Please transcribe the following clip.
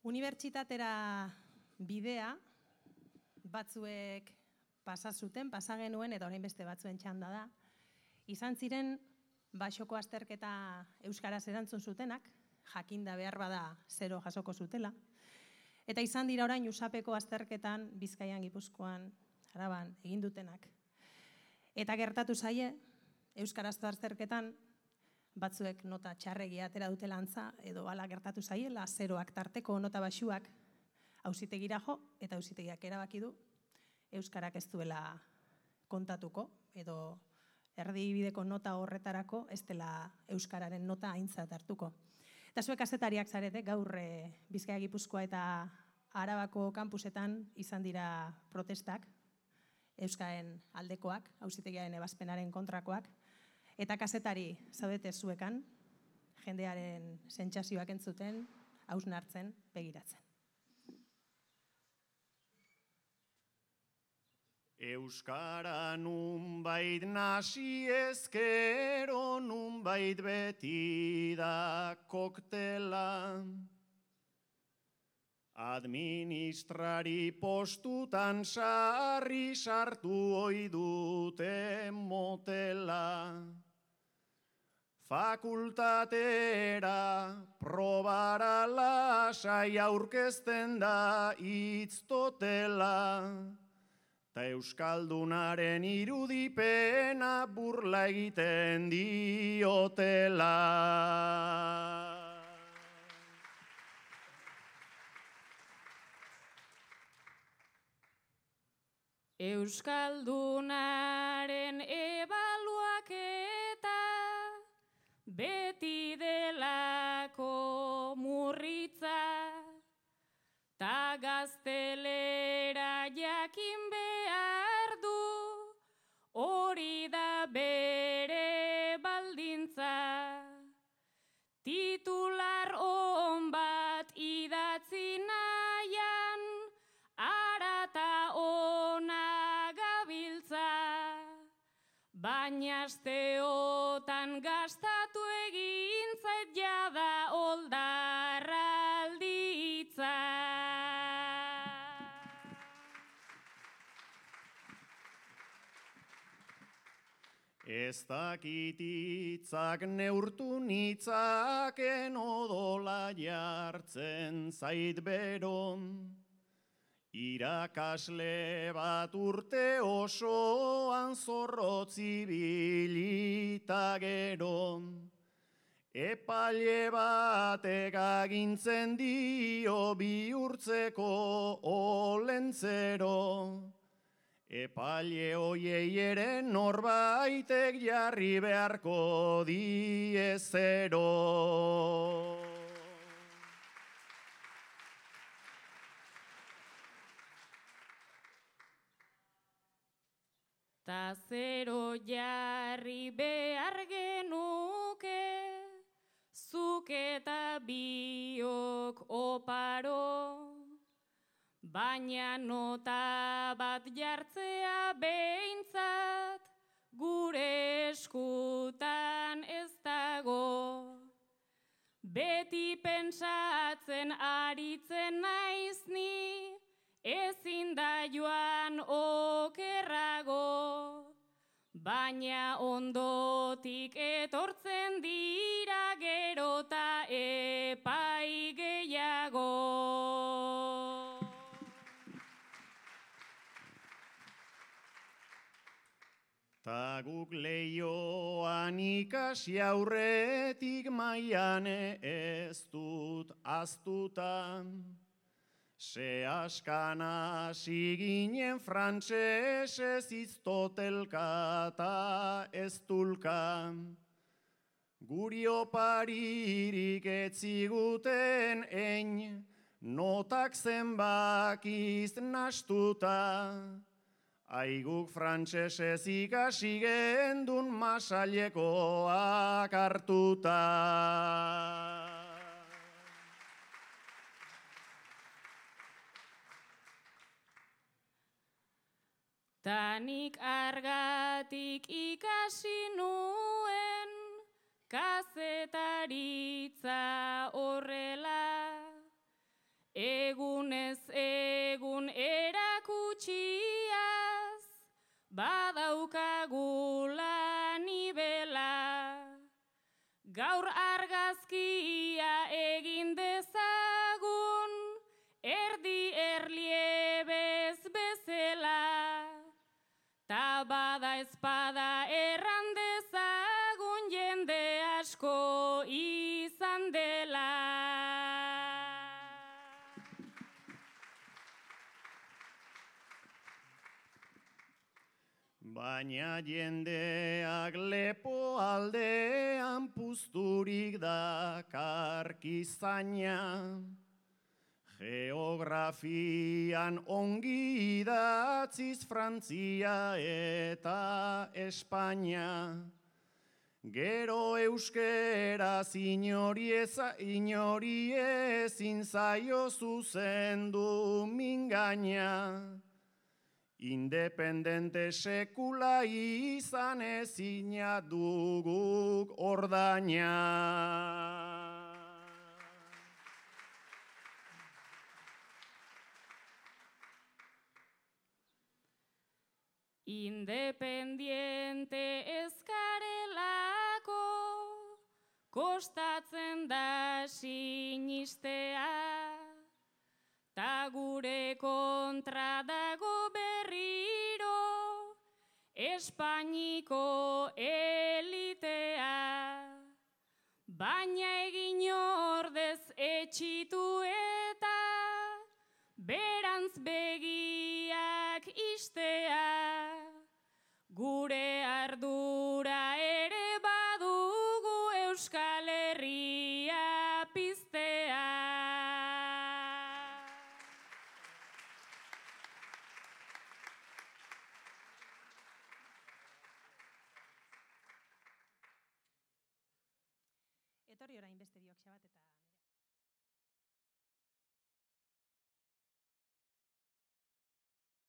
Unibertsitatera bidea batzuek pasa genuen eta orain beste batzuen txanda da. Izan ziren basoko azterketa euskaraz erantzun zutenak, jakinda behar bada 0 jasoko zutela. Eta izan dira orain USAPeko azterketan Bizkaian, Gipuzkoan, Araban egin dutenak. Eta gertatu zaie, euskarazko azterketan batzuek nota txarregia atera dutela antza, edo hala gertatu zaiela, 0ak tarteko nota baxuak auzitegira jo, eta auzitegiak erabaki du euskarak ez duela kontatuko, edo erdibideko nota horretarako ez dela euskararen nota aintzat hartuko. Eta zuek kazetariak zarete, gaur Bizkaia, Gipuzkoa eta Arabako kanpusetan izan dira protestak, euskaren aldekoak, auzitegiaren ebazpenaren kontrakoak, eta kazetari zaudete zuekan, jendearen sentsazioak entzuten, hausnartzen, begiratzen. Euskara nunbait nasi ezkero, nunbait beti da koktela. Administrari postutan sarri sartu ohi dute motela. Fakultatera probara lasai aurkezten da hitz totela. Ta euskaldunaren irudipena burla egiten diotela. Euskaldunaren ebaluaketa beti delako murritza, ta gaztelera jakin behar du, hori da bere baldintza. Titular on bat idatzi nahian, arata ona gabiltza, baina asteotan gastatu egin zait jada oldarralditza. Ez dakit hitzak neurtu nitzaken odola jartzen zait beron. Irakasle bat urte osoan zorrotz ibilita gero. Epaile batek agintzen dio bihurtzeko olentzero. Epaile hoiei ere norbaitek jarri beharko die zero. Ta 0 jarri behar genuke, zuk eta biok oparo. Baina nota bat jartzea behintzat, gure eskutan ez dago. Beti pentsatzen aritzen naiz ni, ezin da joan okerrago. Baina ondotik etortzen dira gerota epai gehiago. Ta guk leioan ikasi aurretik mailan ez dut aztuta. Se askana ziginen frantsesez iztotelka ta ez dulka. Guri oparirik etziguten ein, notak zenbakiz nastuta. Aiguk frantsesez ikasi gendun masailekoak hartuta. Tanik argatik ikasi nuen, kazetaritza horrela. egunez egun erakutsiaz, badaukagula nibela. Gaur argazkia egin dezagun, erdi erliebez bezala. Ta bada espada erran dezagun jende asko izan dela. Baina jendeak lepo aldean puzturik dakarkizaina, geografian ongi idatziz Frantzia eta Espainia. Gero euskeraz inori ezin zaio zuzendu mingaina. Independente sekula izan ezina duguk ordaina. Independiente ezkarelako, kostatzen da sinistea, ta gure kontra dago berriro, Espainiko elitea. Baina egin ordez etxitu eta, berantz begiak istea. Gure ardura ere badugu Euskal Herria piztea. Etorri orain beste biok xabat eta